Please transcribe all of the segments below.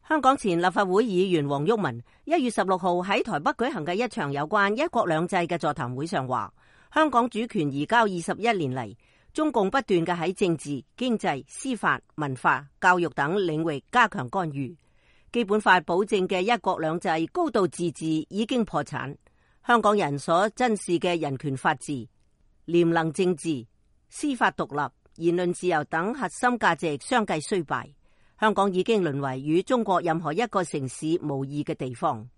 香港前立法會議員黃毓民1月16號喺台北舉行嘅一場有關一國兩制嘅座談會上話，香港主權移交21年嚟，中共不斷嘅喺政治、經濟、司法、文化、教育等領域加強干預。基本法保證嘅一國兩制、高度自治已經破產，香港人所珍視嘅人權法治、廉能政治、司法獨立、言論自由等核心價值相繼衰敗。香港已經淪為與中國任何一個城市無異嘅地方。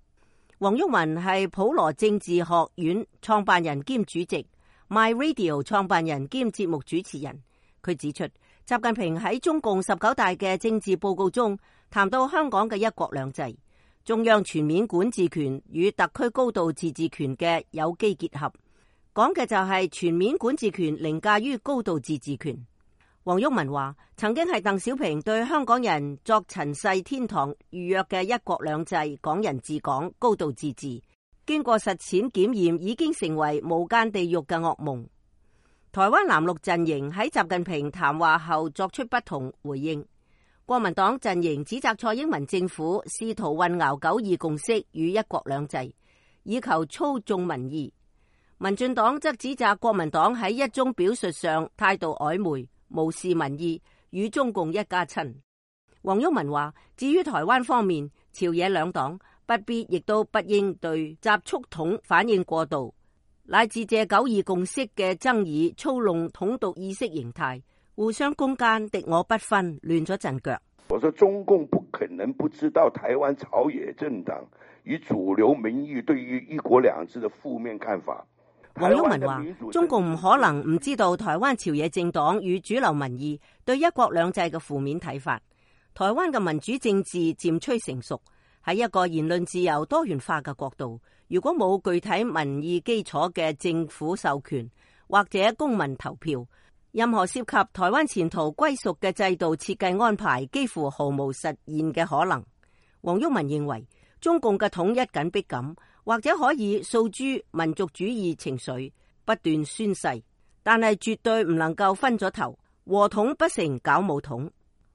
黃毓民係普羅政治學院創辦人兼主席， My Radio 創辦人兼節目主持人。佢指出，習近平喺中共19大嘅政治報告中談到香港嘅一國兩制，中央全面管治權與特區高度自治權嘅有機結合，講嘅就係全面管治權凌駕於高度自治權。黃毓民話，曾經係鄧小平對香港人作塵世天堂預約嘅一國兩制、港人治港、高度自治，經過實踐檢驗，已經成為無間地獄嘅噩夢。台灣藍綠陣營喺習近平談話後作出不同回應。國民黨陣營指責蔡英文政府試圖混淆9·2共識與一國兩制，以求操縱民意。民進黨則指責國民黨喺一中表述上態度曖昧，無視民意，與中共一家親。黃毓民話，至於台灣方面，朝野兩黨不必亦都不應對習促統反應過度，乃至借9·2共識嘅爭議操弄統獨意識形態，互相攻讦，敵我不分，亂咗陣腳。我說中共不可能不知道台灣朝野政黨與主流民意對於一國兩制的負面看法。黃毓民話，中共唔可能唔知道台灣朝野政黨與主流民意對一國兩制嘅負面睇法。台灣嘅民主政治漸趨成熟，喺一個言論自由多元化嘅國度，如果冇具體民意基礎嘅政府授權或者公民投票，任何涉及台灣前途歸屬嘅制度設計安排幾乎毫無實現嘅可能。黃毓民認為，中共嘅統一緊迫感或者可以訴諸民族主義情緒，不斷宣誓，但係絕對唔能夠分咗頭，和統不成搞武統。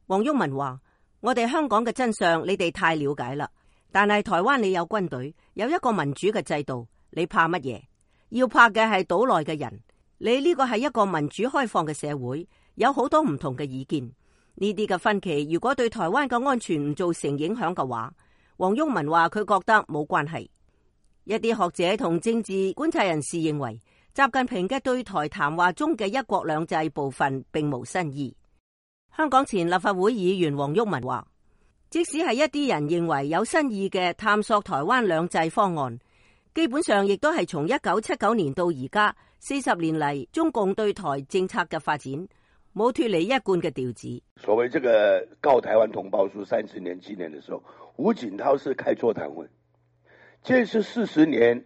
黃毓民話，我哋香港嘅真相你哋太了解啦，但係台灣你有軍隊，有一個民主嘅制度，你怕乜嘢？要怕嘅係島內嘅人。你呢個係一個民主開放嘅社會，有好多唔同嘅意見，呢啲嘅分歧如果對台灣嘅安全唔造成影響嘅話，黃毓民話佢覺得冇關係。一啲學者同政治觀察人士認為，習近平嘅對台談話中嘅一國兩制部分並無新意。香港前立法會議員黃毓民話，即使係一啲人認為有新意嘅探索台灣兩制方案，基本上亦都係從1979年到而家40年嚟中共對台政策嘅發展，冇脫離一貫嘅調子。所謂這個告台灣同胞書30年紀念的時候，胡錦濤是開座談會，這是40年，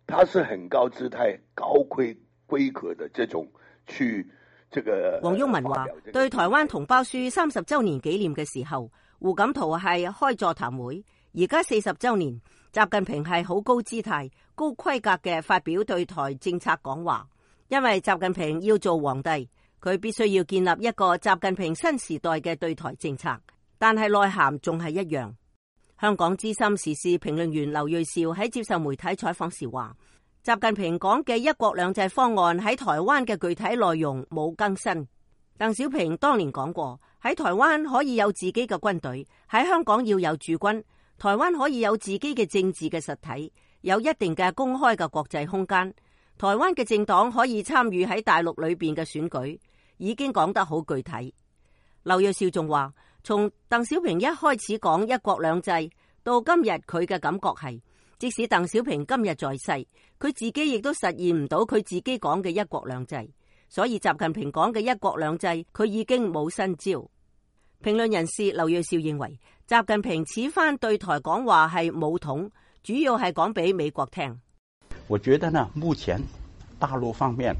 他是很高姿態、高規格的這種去這個。黃毓民話，對台灣同胞書30週年紀念嘅時候，胡錦濤係開座談會，而家40週年。習近平係好高姿態、高規格嘅發表對台政策講話，因為習近平要做皇帝，佢必須要建立一個習近平新時代嘅對台政策，但係內涵仲係一樣。香港資深時事評論員劉銳紹喺接受媒體採訪時話，習近平講嘅一國兩制方案喺台灣嘅具體內容冇更新。鄧小平當年講過，喺台灣可以有自己嘅軍隊，喺香港要有駐軍。台灣可以有自己嘅政治嘅實體，有一定嘅公開嘅國際空間。台灣嘅政黨可以參與喺大陸裏邊嘅選舉，已經講得好具體。劉銳紹仲話，從鄧小平一開始講一國兩制到今日，佢嘅感覺係，即使鄧小平今日在世，佢自己亦都實現唔到佢自己講嘅一國兩制。所以習近平講嘅一國兩制，佢已經冇新招。評論人士劉銳紹認為，習近平此番對台講話係武統，主要係講俾美國聽。我覺得呢，目前大陸方面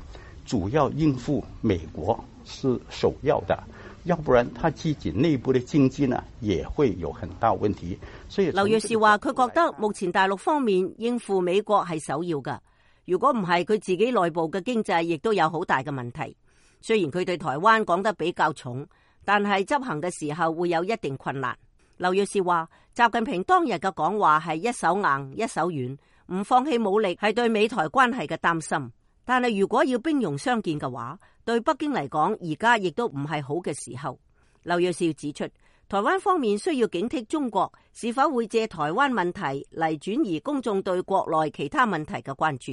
主要應付美國是首要的，要不然他自己內部的經濟呢也會有很大問題。所以劉銳紹話，佢覺得目前大陸方面應付美國係首要㗎，如果唔係，佢自己內部嘅經濟亦都有好大嘅問題。雖然佢對台灣講得比較重，但係執行嘅時候會有一定困難。劉銳紹話，習近平當日嘅講話係一手硬一手軟，唔放棄武力係對美台關係嘅擔心。但係如果要兵戎相見嘅話，對北京嚟講而家亦都唔係好嘅時候。劉銳紹指出，台灣方面需要警惕中國是否會借台灣問題嚟轉移公眾對國內其他問題嘅關注，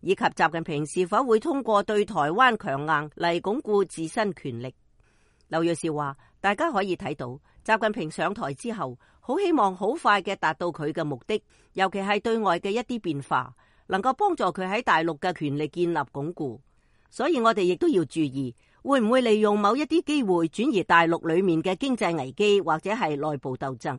以及習近平是否會通過對台灣強硬嚟鞏固自身權力。劉銳紹話，大家可以睇到習近平上台之後，好希望好快嘅達到佢嘅目的，尤其係對外嘅一啲變化，能夠幫助佢喺大陸嘅權力建立鞏固。所以我哋亦都要注意，會唔會利用某一啲機會轉移大陸裏面嘅經濟危機或者係內部鬥爭。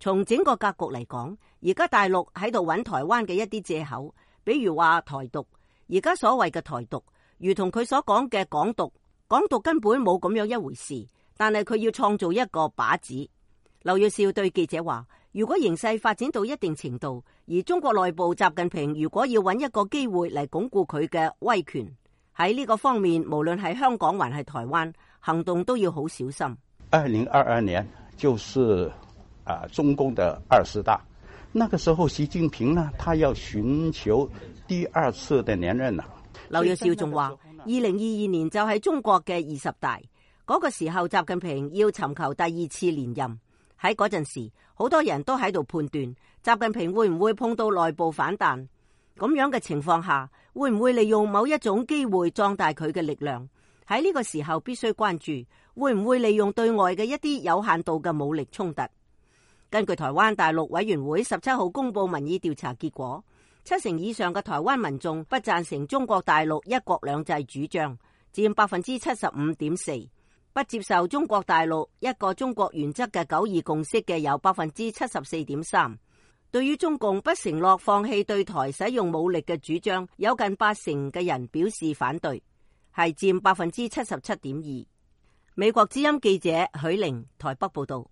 從整個格局嚟講，而家大陸喺度揾台灣嘅一啲借口，比如話台獨。而家所謂嘅台獨，如同佢所講嘅港獨，港獨根本冇咁樣一回事，但係佢要創造一個靶子。劉銳紹對記者話，如果形勢發展到一定程度，而中國內部習近平如果要揾一個機會嚟鞏固佢嘅威權，喺呢個方面，無論係香港還係台灣，行動都要好小心。2022年就是中共的20大，那個時候習近平呢，他要尋求第二次的連任啦。劉銳紹仲話，2022年就係中國嘅20大，嗰個時候習近平要尋求第二次連任。喺嗰陣時，好多人都喺度判斷習近平會唔會碰到內部反彈，咁樣嘅情況下，會唔會利用某一種機會壯大佢嘅力量？喺呢個時候必須關注，會唔會利用對外嘅一啲有限度嘅武力衝突？根據台灣大陸委員會17號公布民意調查結果，70%以上嘅台灣民眾不贊成中國大陸一國兩制主張，佔75.4%。不接受中國大陸一個中國原則嘅9·2共識嘅有74.3%，對於中共不承諾放棄對台使用武力嘅主張，有近80%嘅人表示反對，係佔77.2%。美國之音記者許玲台北報道。